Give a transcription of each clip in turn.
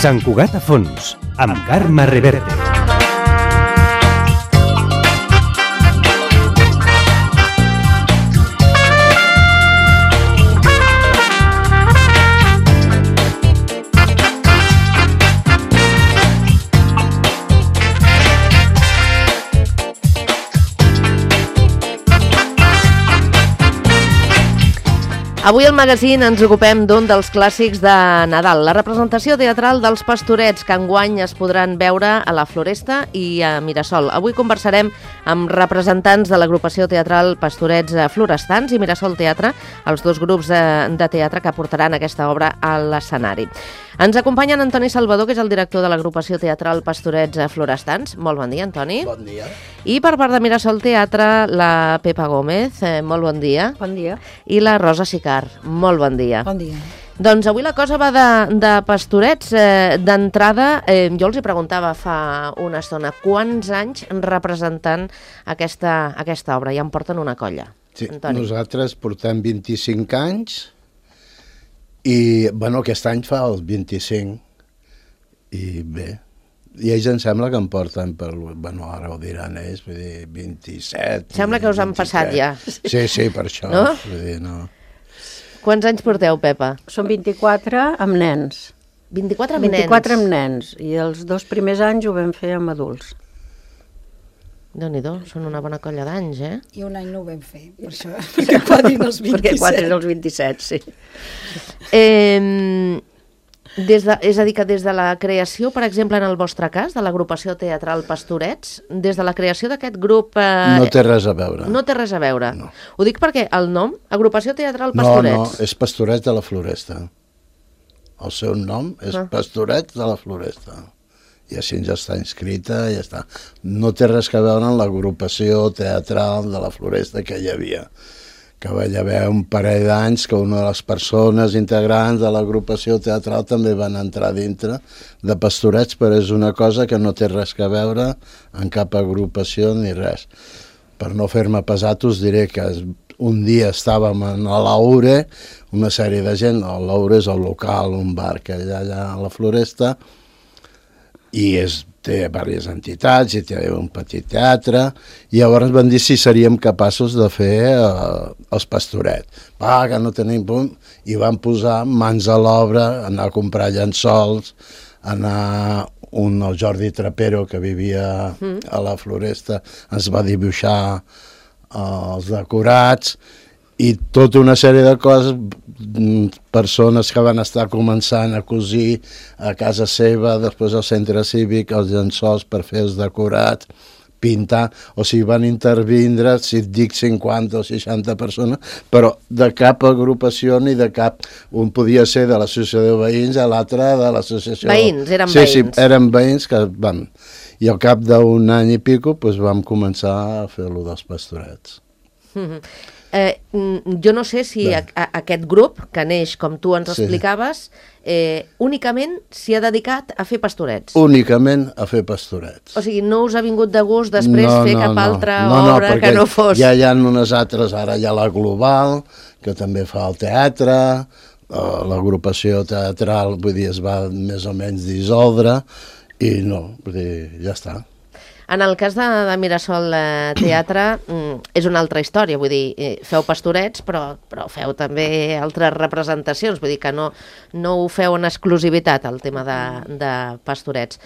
Sant Cugat a fons, amb Carme Reverte. Avui al magazín ens ocupem d'un dels clàssics de Nadal, la representació teatral dels Pastorets, que enguany es podran veure a la Floresta i a Mirasol. Avui conversarem amb representants de l'agrupació teatral Pastorets Florestans i Mirasol Teatre, els dos grups de teatre que portaran aquesta obra a l'escenari. Ens acompanya Antoni Salvador, que és el director de l'agrupació teatral Pastorets Florestans. Molt bon dia, Antoni. Bon dia. I per part de Mirasol Teatre, la Pepa Gómez. Molt bon dia. Bon dia. I la Rosa Sicard. Molt bon dia. Bon dia. Doncs avui la cosa va de Pastorets. D'entrada, jo els hi preguntava fa una estona, quants anys representant aquesta obra? Ja em porten una colla. Sí, Antoni. nosaltres portem 25 anys i, bueno, aquest any fa els 25 i bé, i ells em sembla que em porten per, bueno, ara ho diran ells, vull dir, 27. Sembla que us han 27. passat ja. Sí, per això. No? Vull dir, no. Quants anys porteu, Pepa? Són 24 amb nens. 24 amb 24 amb nens. I els 2 primers anys ho vam fer amb adults. Déu-n'hi-do, són una bona colla d'anys, eh? I un any no ho vam fer, per això, perquè quadrin els 27. Perquè quadrin els 27, sí. És a dir, que des de la creació, per exemple, en el vostre cas, de l'agrupació teatral Pastorets, des de la creació d'aquest grup... No té res a veure. No té res a veure. No. Ho dic perquè el nom, agrupació teatral Pastorets... No, és Pastorets de la Floresta. El seu nom és Pastorets de la Floresta. I així ja està inscrita, ja està. No té res a veure amb l'agrupació teatral de la Floresta que hi havia. Que va haver un parell d'anys que una de les persones integrants de l'agrupació teatral també van entrar dintre de Pastorets, però és una cosa que no té res a veure en cap agrupació ni res. Per no fer-me pesat us diré que un dia estàvem a l'Aure, una sèrie de gent, l'Aure és el local, un bar que hi ha allà a la Floresta, i té diverses entitats i té un petit teatre, i llavors van dir si seríem capaços de fer els Pastorets. Que no tenim punt, i van posar mans a l'obra, anar a comprar llençols, el Jordi Trapero, que vivia a la Floresta, ens va dibuixar els decorats, i tota una sèrie de coses, persones que van estar començant a cosir a casa seva, després al centre cívic, els llençols per fer els decorats, pintar, o sigui, van intervindre, si et dic 50 o 60 persones, però de cap agrupació ni de cap, un podia ser de l'associació de veïns, l'altre de l'associació... Veïns, eren veïns. Sí, eren veïns que van... I al cap d'un any i pico vam començar a fer-lo dels Pastorets. Jo no sé si aquest grup, que neix com tu ens explicaves, únicament s'hi ha dedicat a fer Pastorets. Únicament a fer Pastorets. O sigui, no us ha vingut de gust després fer cap altra obra que no fos... Ja hi ha unes altres, ara hi ha la Global, que també fa el teatre, l'agrupació teatral, vull dir, es va més o menys dissoldre, i no, vull dir, ja està. En el cas de Mirasol Teatre és una altra història, vull dir, feu Pastorets, però feu també altres representacions, vull dir que no ho feu en exclusivitat, el tema de Pastorets.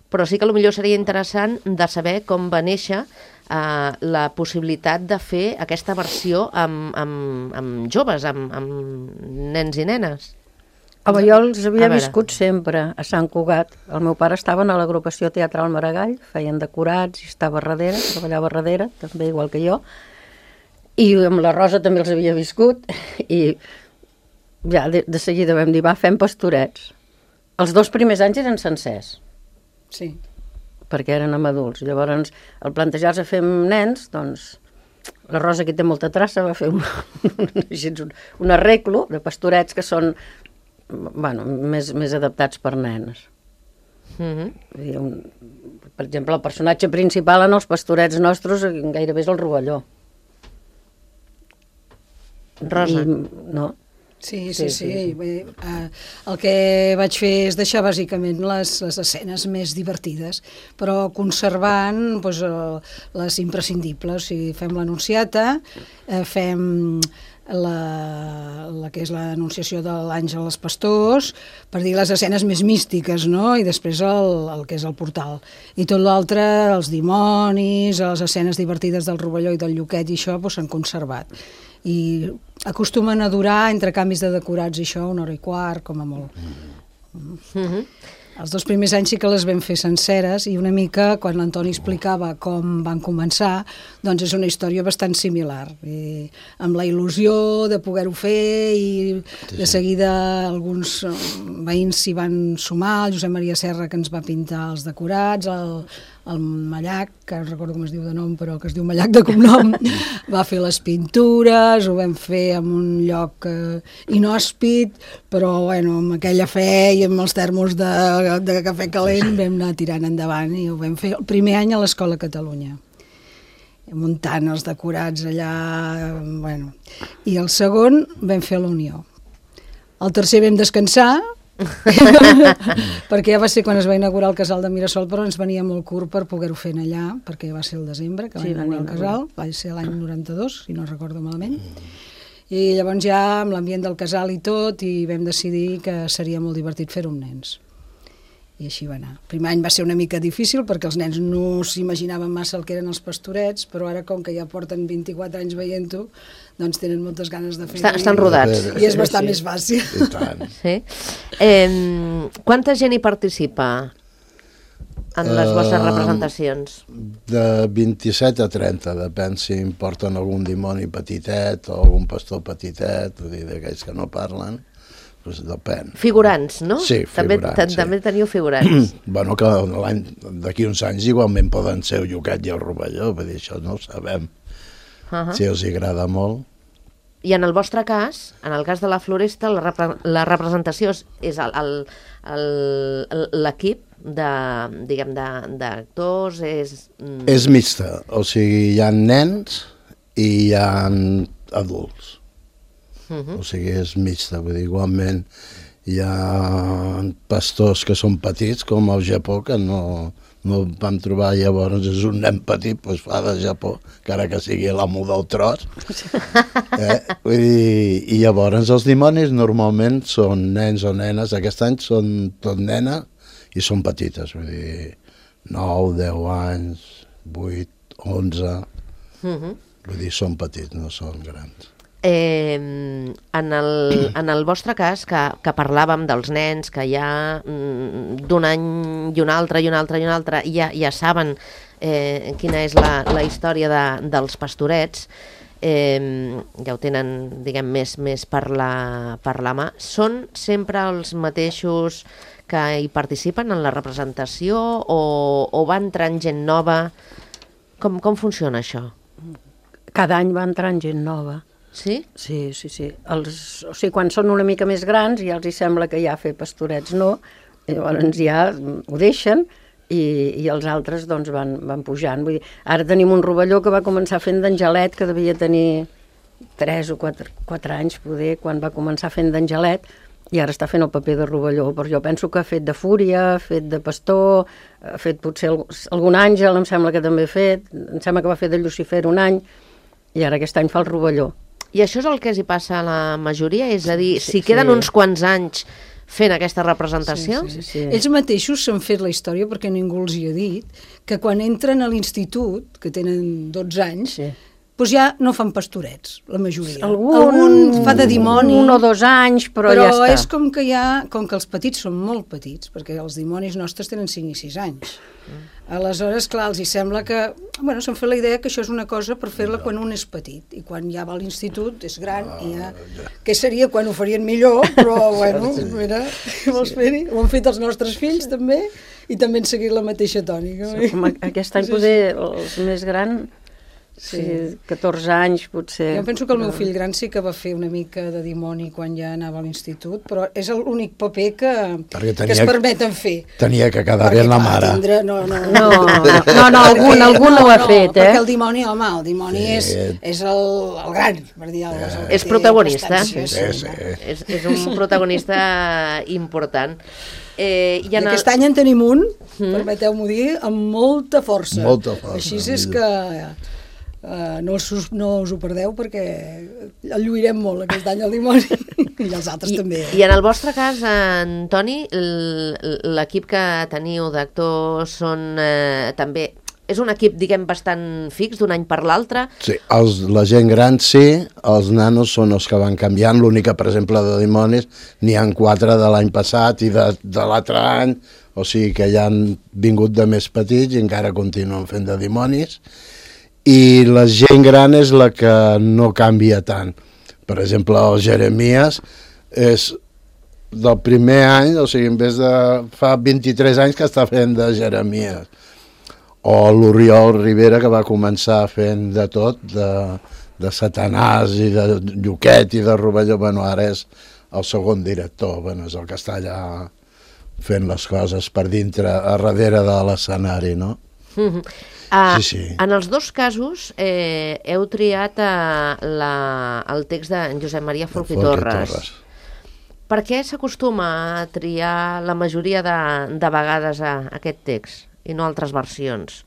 Però sí que potser seria interessant de saber com va néixer la possibilitat de fer aquesta versió amb joves, amb nens i nenes. Jo els havia viscut sempre a Sant Cugat. El meu pare estava a l'agrupació teatral Maragall, feien decorats i estava darrere, treballava darrere, també igual que jo. I amb la Rosa també els havia viscut i ja de seguida vam dir, fem Pastorets. Els 2 primers anys eren sencers. Sí. Perquè eren amb adults. Llavors, al plantejar-se fer amb nens, doncs, la Rosa, que té molta traça, va fer un arreglo de pastorets que són més adaptats per nenes. Per exemple, el personatge principal en els pastorets nostres gairebé és el rovelló. Rosa. No? Sí. Bé, el que vaig fer és deixar bàsicament les escenes més divertides, però conservant doncs, les imprescindibles. O sigui, fem l'Anunciata, fem la que és l'anunciació de l'àngel als pastors, per dir les escenes més místiques, no? I després el que és el portal. I tot l'altre, els dimonis, les escenes divertides del rovelló i del lluquet i això s'han conservat. I acostumen a durar entre canvis de decorats i això 1 hora i quart, com a molt. Els 2 primers anys sí que les vam fer senceres i una mica, quan l'Antoni explicava com van començar, doncs és una història bastant similar. I amb la il·lusió de poder-ho fer i de seguida alguns veïns s'hi van sumar, el Josep Maria Serra, que ens va pintar els decorats, el Mallac, que no recordo com es diu de nom, però que es diu Mallac de cognom, va fer les pintures, ho vam fer en un lloc inhòspit, però bueno, amb aquella fe i amb els termos de cafè calent vam anar tirant endavant i ho vam fer el primer any a l'Escola Catalunya, muntant els decorats allà, bueno. I el segon vam fer a la Unió. El tercer vam descansar, perquè ja va ser quan es va inaugurar el casal de Mirasol, però ens venia molt curt per poder-ho fer allà, perquè va ser el desembre que va inaugurar el casal, va ser l'any 92, si no recordo malament, i llavors ja amb l'ambient del casal i tot, i vam decidir que seria molt divertit fer-ho amb nens. I així va anar. El primer any va ser una mica difícil perquè els nens no s'imaginaven massa el que eren els pastorets, però ara, com que ja porten 24 anys veient-ho, doncs tenen moltes ganes de fer-ho. Estan rodats. I és bastant més fàcil. I tant. Sí. Quanta gent hi participa en les vostres representacions? De 27 a 30, depèn si em porten algun dimoni petitet o algun pastor petitet, vull dir, d'aquells que no parlen. Doncs depèn. Figurants, no? Sí, figurants. També teniu figurants. Bueno, que d'aquí uns anys igualment poden ser el lluquet i el rovelló, vull dir, això no ho sabem. Si els agrada molt. I en el vostre cas, en el cas de la Floresta, la representació és l'equip d'actors, és mixta, o sigui, hi ha nens i hi ha adults. O sigui, és mixta, vull dir, igualment hi ha pastors que són petits, com al Japó, que no vam trobar, llavors és un nen petit, doncs fa de Japó, encara que sigui l'amo del tros. Vull dir, i llavors els dimonis normalment són nens o nenes, aquest any són tot nena i són petites, vull dir, 9, 10 anys, 8, 11, vull dir, són petits, no són grans. En el vostre cas, que parlàvem dels nens, que ja d'un any i un altre, ja saben quina és la història dels pastorets, ja ho tenen, diguem, més per la mà, són sempre els mateixos que hi participen en la representació o va entrant gent nova? Com funciona això? Cada any va entrant gent nova. Sí? Sí. O sigui, quan són una mica més grans ja els hi sembla que ja fer pastorets no, llavors ja ho deixen i els altres doncs van pujant. Vull dir, ara tenim un rovelló que va començar fent d'Angelet, que devia tenir 3 o 4 anys poder, quan va començar fent d'Angelet, i ara està fent el paper de rovelló, però jo penso que ha fet de Fúria, ha fet de Pastor, ha fet potser algun àngel, em sembla que també ha fet, em sembla que va fer de Llucifer un any, i ara aquest any fa el rovelló. I això és el que els hi passa a la majoria? És a dir, si queden uns quants anys fent aquesta representació? Sí. Ells mateixos s'han fet la història, perquè ningú els hi ha dit, que quan entren a l'institut, que tenen 12 anys, doncs ja no fan pastorets, la majoria. Algun fa de dimoni. 1 o 2 anys, però ja està. Però és com que els petits són molt petits, perquè els dimonis nostres tenen 5 i 6 anys. Aleshores, clar, els hi sembla que... Bueno, s'han fet la idea que això és una cosa per fer-la quan un és petit, i quan ja va a l'institut és gran, i ja... Què seria quan ho farien millor, però, bueno, mira, vols fer-hi? Ho han fet els nostres fills, també, i també han seguit la mateixa tònica. Aquest any poder els més grans, sí, 14 anys potser. Jo penso que el meu fill gran sí que va fer una mica de dimoni quan ja anava a l'institut, però és l'únic paper que es permeten fer. Tenia que quedar bé la mare. No, algun ho ha fet, perquè el dimoni, home, el dimoni és el gran, per dir alguna cosa. És protagonista. Sí. És un protagonista important. I aquest any en tenim un, permeteu-m'ho dir, amb molta força. Així és que no us ho perdeu perquè el lluirem molt aquest any el dimoni i els altres també. I en el vostre cas, Antoni, l'equip que teniu d'actors són també... És un equip, diguem, bastant fix d'un any per l'altre? Sí, la gent gran sí, els nanos són els que van canviant, l'únic que, per exemple, de dimonis n'hi ha 4 de l'any passat i de l'altre any, o sigui que ja han vingut de més petits i encara continuen fent de dimonis, i la gent gran és la que no canvia tant. Per exemple, el Jeremies és del primer any, o sigui, en vez de fa 23 anys que està fent de Jeremies. O l'Oriol Rivera, que va començar fent de tot, de Satanàs i de Lluquet i de Rovelló. Bueno, ara és el segon director, bueno, és el que està allà fent les coses per dintre, a darrere de l'escenari, no? Sí. En els dos casos heu triat el text de Josep Maria Folch i Torres. Per què s'acostuma a triar la majoria de vegades aquest text i no altres versions?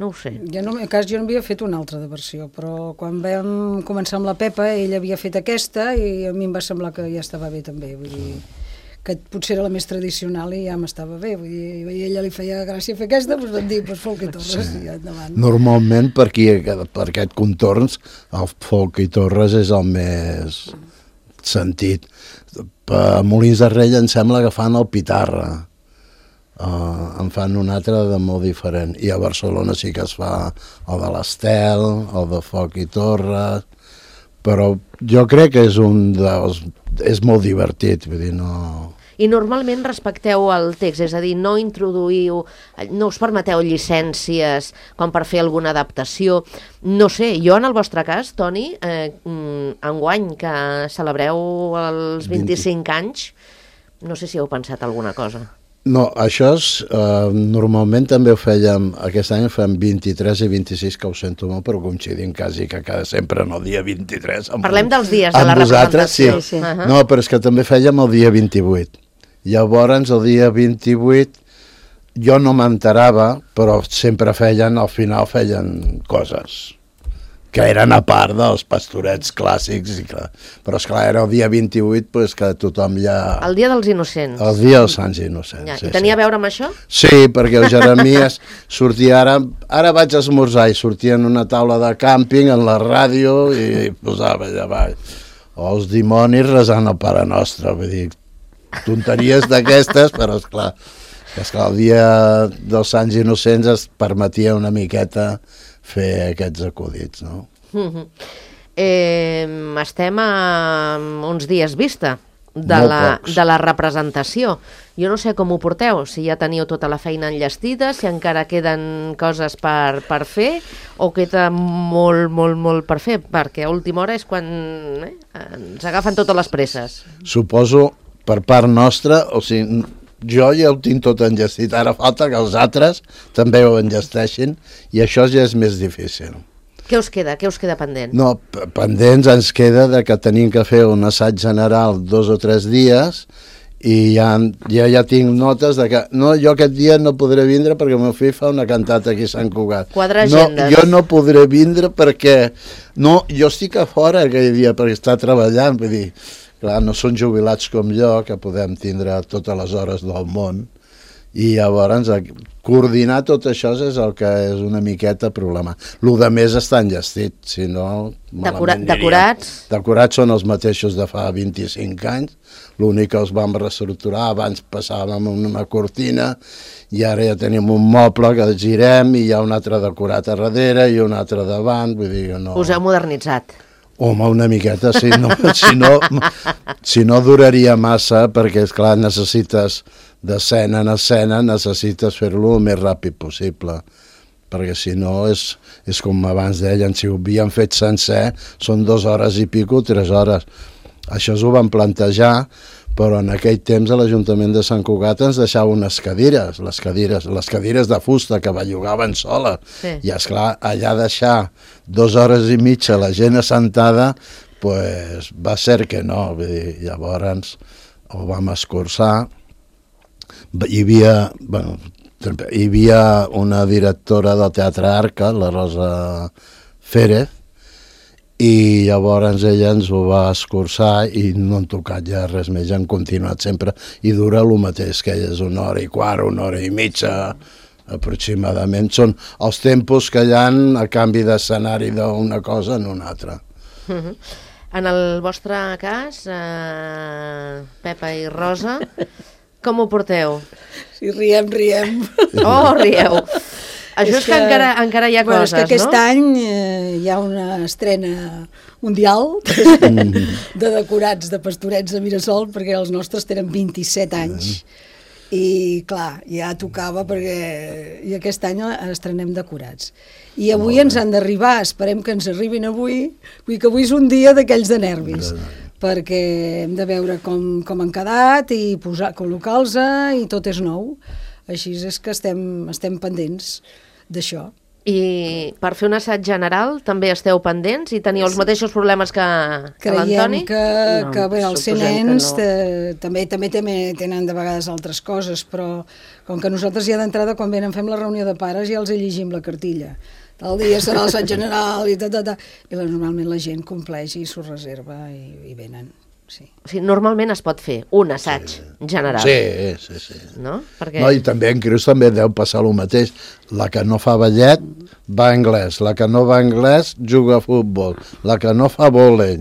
No ho sé. Jo no havia fet una altra de versió, però quan vam començar amb la Pepa, ella havia fet aquesta i a mi em va semblar que ja estava bé també, vull dir, que potser era la més tradicional i ja m'estava bé, vull dir, a ella li feia gràcia fer aquesta, doncs vam dir, Folch i Torres, i endavant. Normalment per aquest contorns, el Folch i Torres és el més sentit. A Molins de Rei em sembla que fan el Pitarra, en fan un altre de molt diferent, i a Barcelona sí que es fa el de l'Estel, el de Folch i Torres, però jo crec que és molt divertit, vull dir, no... I normalment respecteu el text, és a dir, no us permeteu llicències com per fer alguna adaptació. No sé, jo en el vostre cas, Toni, enguany que celebreu els 25 anys, no sé si heu pensat alguna cosa. No, això normalment també ho fèiem, aquest any fem 23 i 26, que ho sento molt, però coincidim quasi que sempre en el dia 23. Parlem dels dies de la representació. Sí. No, però és que també fèiem el dia 28. Llavors, el dia 28, jo no m'enterava, però sempre al final feien coses que eren a part dels pastorets clàssics, però esclar, era el dia 28, doncs que tothom ja... El dia dels innocents. El dia dels Sants Innocents. Ja. I tenia a veure amb això? Sí, perquè el Jeremies sortia ara vaig esmorzar, i sortia en una taula de càmping, en la ràdio, i posava allà baix. O els dimonis resant el Pare Nostre, vull dir, tonteries d'aquestes, però esclar, el dia dels Sants Innocents es permetia una miqueta fer aquests acudits, no? Estem a uns dies vista de la representació. Jo no sé com ho porteu, si ja teniu tota la feina enllestida, si encara queden coses per fer, o queda molt per fer, perquè a última hora és quan ens agafen totes les presses. Suposo, per part nostra, o sigui, jo ja ho tinc tot enllestit, ara falta que els altres també ho enllesteixin, i això ja és més difícil. Què us queda pendent? No, pendents ens queda de que tenim que fer un assaig general 2 o 3 dies, i ja tinc notes de que jo aquest dia no podré vindre perquè el meu fill fa una cantata aquí a Sant Cugat. Quadrar agendes. Jo no podré vindre perquè jo estic a fora aquell dia perquè està treballant, vull dir, clar, no són jubilats com jo, que podem tindre totes les hores del món, i llavors coordinar tot això és el que és una miqueta problema. El de més està enllestit, si no... Decorats? Decorats són els mateixos de fa 25 anys, l'únic que els vam reestructurar, abans passàvem una cortina, i ara ja tenim un moble que girem, i hi ha un altre decorat a darrere i un altre davant, vull dir, no... Us heu modernitzat? Home, una miqueta, si no duraria massa, perquè, esclar, necessites d'escena en escena, necessites fer-lo el més ràpid possible, perquè si no és com abans deien, si ho havien fet sencer, són 2 hores i pico, 3 hores. Això ho van plantejar, però en aquell temps a l'Ajuntament de Sant Cugat ens deixava unes cadires, les cadires de fusta que bellugaven sola. Sí. I esclar, allà deixar 2 hores i mitja la gent assentada, pues, va ser que no. Vull dir, llavors ho vam escurçar. Hi havia una directora del Teatre Arca, la Rosa Férez, i llavors ella ens ho va escurçar i no han tocat ja res més, han continuat sempre i dura el mateix, que és 1 hora i quart, 1 hora i mitja aproximadament. Són els tempos que hi ha a canvi d'escenari d'una cosa en una altra. En el vostre cas, Pepa i Rosa, com ho porteu? Sí, riem. Oh, rieu. Això és que encara hi ha coses, no? És que aquest any hi ha una estrena mundial de decorats de Pastorets de Mirasol, perquè els nostres tenen 27 anys. I clar, ja tocava perquè i aquest any estrenem decorats. I avui ens han d'arribar, esperem que ens arribin avui, vull que avui és un dia d'aquells de nervis, perquè hem de veure com han quedat i col·locar-los i tot és nou. Així és que estem pendents d'això. I per fer un assaig general també esteu pendents i teniu els mateixos problemes que l'Antoni? Creiem que bé, els nens també tenen de vegades altres coses, però com que nosaltres ja d'entrada quan venen fem la reunió de pares ja els llegim la cartilla. Tal dia serà l'assaig general i i normalment la gent compleix i s'ho reserva i venen. Sí. O sigui, normalment es pot fer un assaig general. Sí. No? Perquè... No, i també en Creus també deu passar el mateix. La que no fa ballet va a anglès, la que no va a anglès juga a futbol, la que no fa vòlei.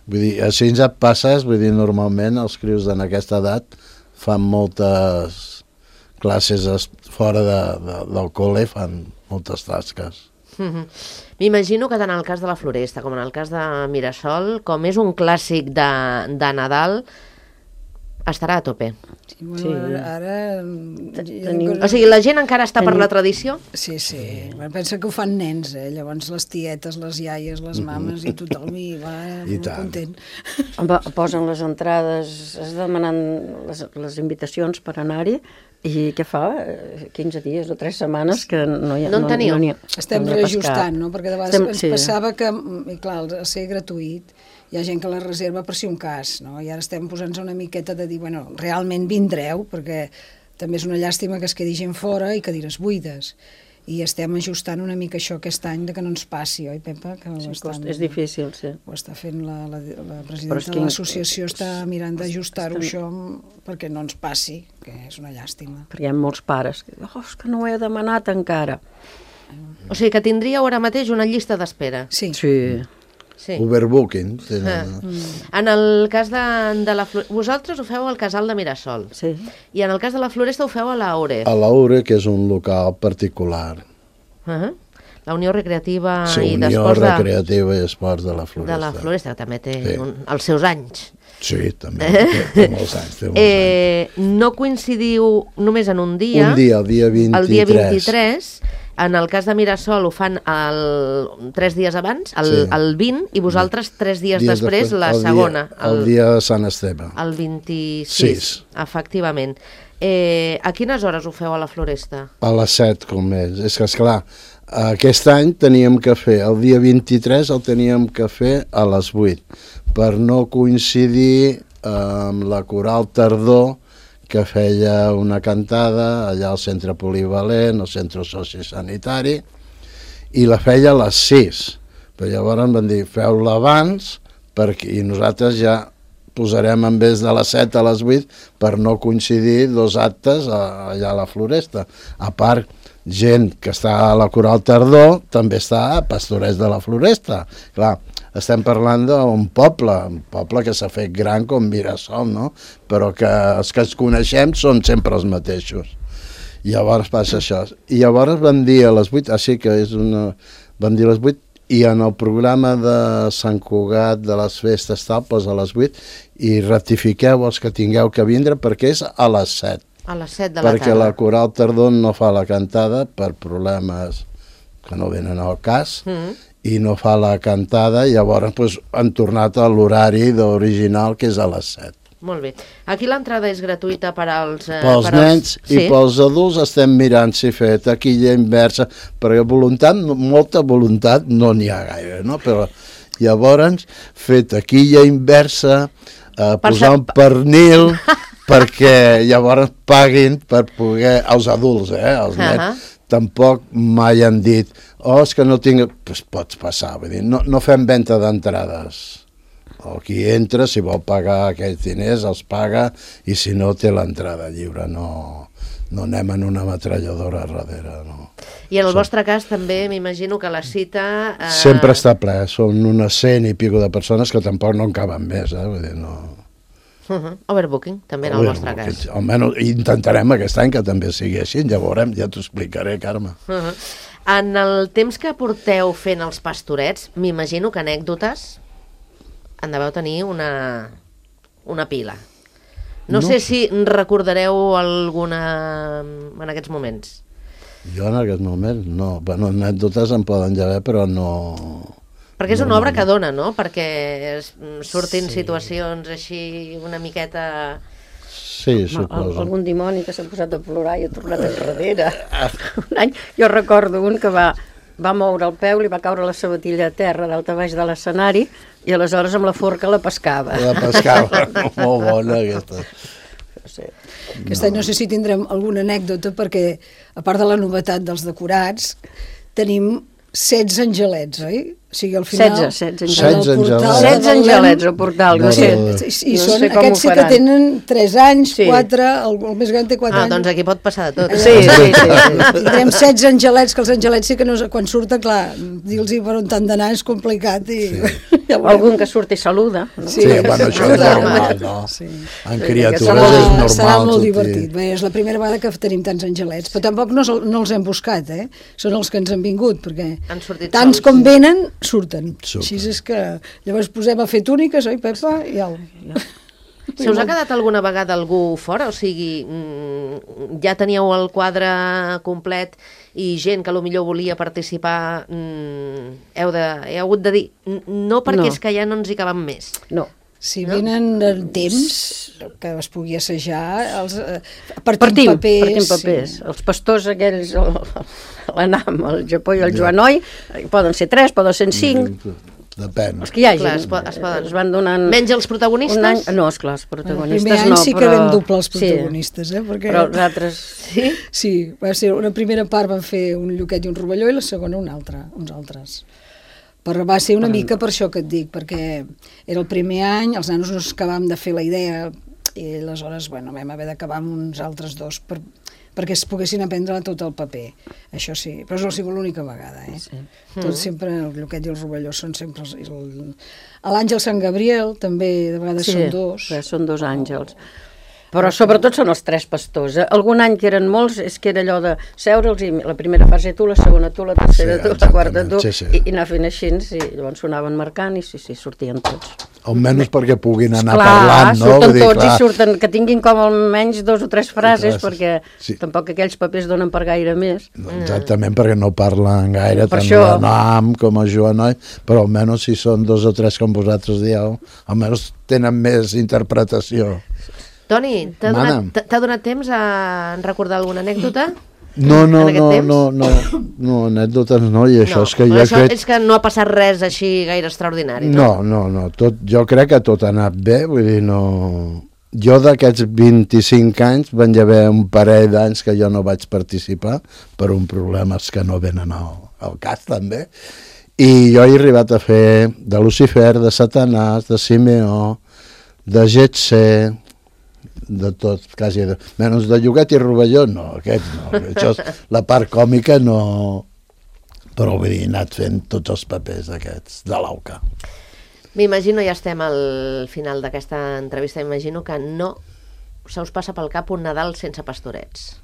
Vull dir, així ja et passes, vull dir, normalment els crios en aquesta edat fan moltes classes fora del col·le, fan moltes tasques. M'imagino que tant en el cas de la Floresta com en el cas de Mirasol, com és un clàssic de Nadal, estarà a tope. Sí, ara... O sigui, la gent encara està per la tradició? Sí. Pensa que ho fan nens, llavors les tietes, les iaies, les mames i tothom hi va molt content. Posen les entrades, es demanen les invitacions per anar-hi. I què fa? 15 dies o 3 setmanes que no hi ha... No en teniu? Estem reajustant, no? Perquè de vegades ens passava que, clar, al ser gratuït, hi ha gent que la reserva per si un cas, no? I ara estem posant-nos una miqueta de dir, bueno, realment vindreu, perquè també és una llàstima que es quedi gent fora i cadires buides. I estem ajustant una mica això aquest any de que no ens passi, oi, Pepa? És difícil, sí. Ho està fent la presidenta de l'associació, està mirant d'ajustar-ho això perquè no ens passi, que és una llàstima. Perquè hi ha molts pares que diuen, és que no ho he demanat encara. O sigui que tindríeu ara mateix una llista d'espera. Sí. Overbooking. En el cas de la Floresta, vosaltres ho feu al Casal de Mirasol. Sí. I en el cas de la Floresta ho feu a l'Aure. A l'Aure, que és un local particular. La Unió Recreativa i d'Esports Unió Recreativa i Esports de la Floresta. De la Floresta, que també té els seus anys. Sí, també, té molts anys. No coincidiu només en un dia. Un dia, el dia 23. El dia 23. En el cas de Mirasol ho fan 3 dies abans, el 20, i vosaltres 3 dies després, la segona. El dia de Sant Esteve. El 26, efectivament. A quines hores ho feu a la Floresta? A les 7, com és. És que, esclar, aquest any teníem que fer, el dia 23 el teníem que fer a les 8, per no coincidir amb la Coral Tardor, que feia una cantada allà al centre polivalent, al centre sociosanitari, i la feia a les 6. Però llavors van dir, feu-la abans, i nosaltres ja posarem en vez de les 7 a les 8 per no coincidir 2 actes allà a la Floresta. A part, gent que està a la Coral Tardor també està a Pastorets de la Floresta. Clar, estem parlant d'un poble que s'ha fet gran com Mirasol, no? Però que els que ens coneixem són sempre els mateixos. I llavors passa això. I llavors van dir a les 8, així que van dir a les 8, i en el programa de Sant Cugat de les festes tal, a les 8, i rectifiqueu els que tingueu que vindre perquè és a les 7. A les 7 de la tarda. Perquè la Coral Tardón no fa la cantada per problemes que no venen al cas, i no fa la cantada, i llavors han tornat a l'horari original, que és a les 7. Molt bé. Aquí l'entrada és gratuïta per als... Pels nens i pels adults estem mirant si fer taquilla inversa, perquè molta voluntat no n'hi ha gaire, no? Però llavors fer taquilla inversa, posar un pernil, perquè llavors paguin per poder... Els adults, els nens, tampoc mai han dit és que no tinc... Pues pots passar, vull dir, no fem venda d'entrades. O qui entra, si vol pagar aquells diners, els paga, i si no, té l'entrada lliure. No anem en una metralladora darrere, no. I en el vostre cas també m'imagino que la cita... Sempre està ple, són unes 100 i pico de persones que tampoc no en caben més, vull dir, no... Overbooking, també en el vostre cas. Almenys intentarem aquest any que també sigui així, ja veurem, ja t'ho explicaré, Carme. En el temps que porteu fent els pastorets, m'imagino que anècdotes en deveu tenir una pila. No sé si recordareu alguna en aquests moments. Jo en aquests moments no. Bueno, anècdotes en poden haver, però no... Perquè és una obra que dona, no? Perquè surtin situacions així una miqueta... Sí, suposo. Algun dimoni que s'ha posat a plorar i ha tornat enrere. Un any, jo recordo un que va moure el peu, li va caure la sabatilla a terra dalt a baix de l'escenari i aleshores amb la forca la pescava. La pescava, molt bona aquesta. Aquest any no sé si tindrem alguna anècdota perquè, a part de la novetat dels decorats, tenim 16 angelets, oi? O sigui, al final... 16 angelets al portal. No sé, i són, aquests sí que tenen 3 anys, 4, el més gran té 4 anys. Doncs aquí pot passar de tot. Sí. Tindrem 16 angelets, que els angelets sí que no, quan surten, clar, dir-los per on t'han d'anar és complicat. Algun que surt i saluda. Sí, bueno, això és normal, no? En criatures és normal. Serà molt divertit. Bé, és la primera vegada que tenim tants angelets, però tampoc no els hem buscat, són els que ens han vingut, perquè tants com venen surten. Així és que llavors posem a fer túniques, oi, Pepa? I Se us ha quedat alguna vegada algú fora? O sigui, ja teníeu el quadre complet i gent que potser volia participar, heu hagut de dir no perquè és que ja no ens hi caben més. No. Si venen el temps que es pugui assajar, partim papers. Els pastors aquells, l'Anam, el Japó i el Joanoi, poden ser 3, poden ser 5. Depèn. Els que hi hagi. Es van donant... Menys els protagonistes? No, esclar, els protagonistes no. El primer any sí que vam doblar els protagonistes, perquè... Però els altres... Sí, va ser una primera part van fer un Lluquet i un Rovelló i la segona uns altres. Però va ser una mica per això que et dic, perquè era el primer any, els nanos no acabàvem de fer la idea i aleshores vam haver d'acabar amb uns altres dos perquè es poguessin aprendre tot el paper. Això sí, però no ha sigut l'única vegada. Tots sempre, el Lluquet i el Rovelló són sempre... L'Àngel Sant Gabriel també, de vegades són 2. Sí, són 2 àngels. Però sobretot són els 3 pastors. Algun any que eren molts, és que era allò de seure'ls i la primera fase tu, la segona tu, la tercera tu, la quarta tu, i anar fent així, i llavors sonaven marcant i sortien tots. Almenys perquè puguin anar parlant, no? Surten tots i surten, que tinguin com almenys 2 o 3 frases, perquè tampoc aquells papers donen per gaire més. Exactament, perquè no parlen gaire, tant l'Anam com el Joanoi, però almenys si són 2 o 3 com vosaltres dieu, almenys tenen més interpretació. Toni, t'ha donat temps a recordar alguna anècdota? No, anècdotes no, i això és que jo crec... És que no ha passat res així gaire extraordinari, no? No, jo crec que tot ha anat bé, vull dir, no... Jo d'aquests 25 anys van haver un parell d'anys que jo no vaig participar per un problemes que no venen al cas, també, i jo he arribat a fer de Lucifer, de Satanàs, de Simeó, de Getse, de tot, quasi, menys de Lluquet i Rovelló, no, aquest no, això és la part còmica, no, però vull dir, he anat fent tots els papers aquests de l'AUCA. M'imagino, ja estem al final d'aquesta entrevista, imagino que no se us passa pel cap un Nadal sense pastorets.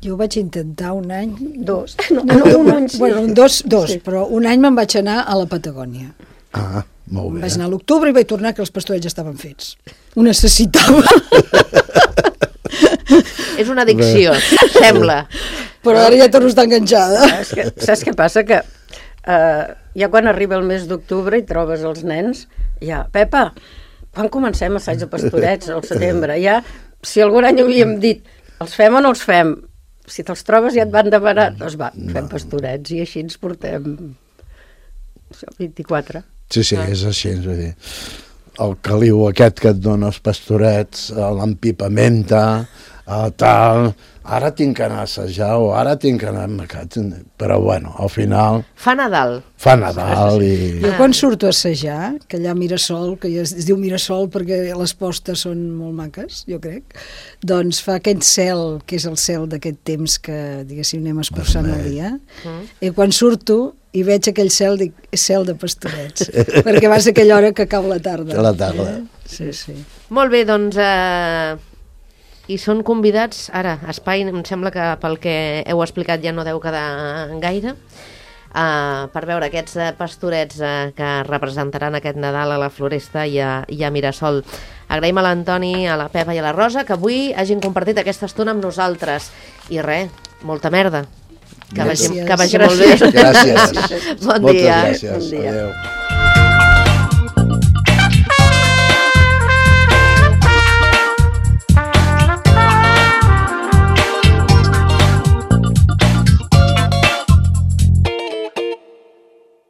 Jo ho vaig intentar un any... Dos. Un any sí. Bueno, dos, sí. Però un any me'n vaig anar a la Patagònia. Ah, molt bé. Vaig anar a l'octubre i vaig tornar que els pastorets estaven fets. Ho necessitava. És una addicció, sembla. Però ara ja torno a estar enganxada. Saps què passa? Que ja quan arriba el mes d'octubre i trobes els nens, ja, Pepa, quan comencem assaig de pastorets al setembre? Ja, si algun any havíem dit, els fem o no els fem? Si te'ls trobes ja et van demanar, doncs va, fem pastorets i així ens portem 24. Sí, és així, vull dir. El caliu aquest que et dona els pastorets, l'empipamenta, tal... Ara tinc que anar a assajar o ara tinc que anar a mercat. Però, bueno, al final... Fa Nadal. Fa Nadal i... Jo quan surto a assajar, que allà a Mirasol, que ja es diu Mirasol perquè les postes són molt maques, jo crec, doncs fa aquest cel, que és el cel d'aquest temps que, diguéssim, anem escurçant el dia, i quan surto i veig aquell cel, dic, és cel de pastorets, perquè va ser aquella hora que cau la tarda. A la tarda. Sí, sí. Molt bé, doncs... I són convidats, ara, espai, em sembla que pel que heu explicat ja no deu quedar gaire, per veure aquests pastorets que representaran aquest Nadal a la Floresta i a Mirasol. Agraïm a l'Antoni, a la Pepa i a la Rosa que avui hagin compartit aquesta estona amb nosaltres. I res, molta merda. Que vagi molt bé. Gràcies. Bon dia. Moltes gràcies. Adéu.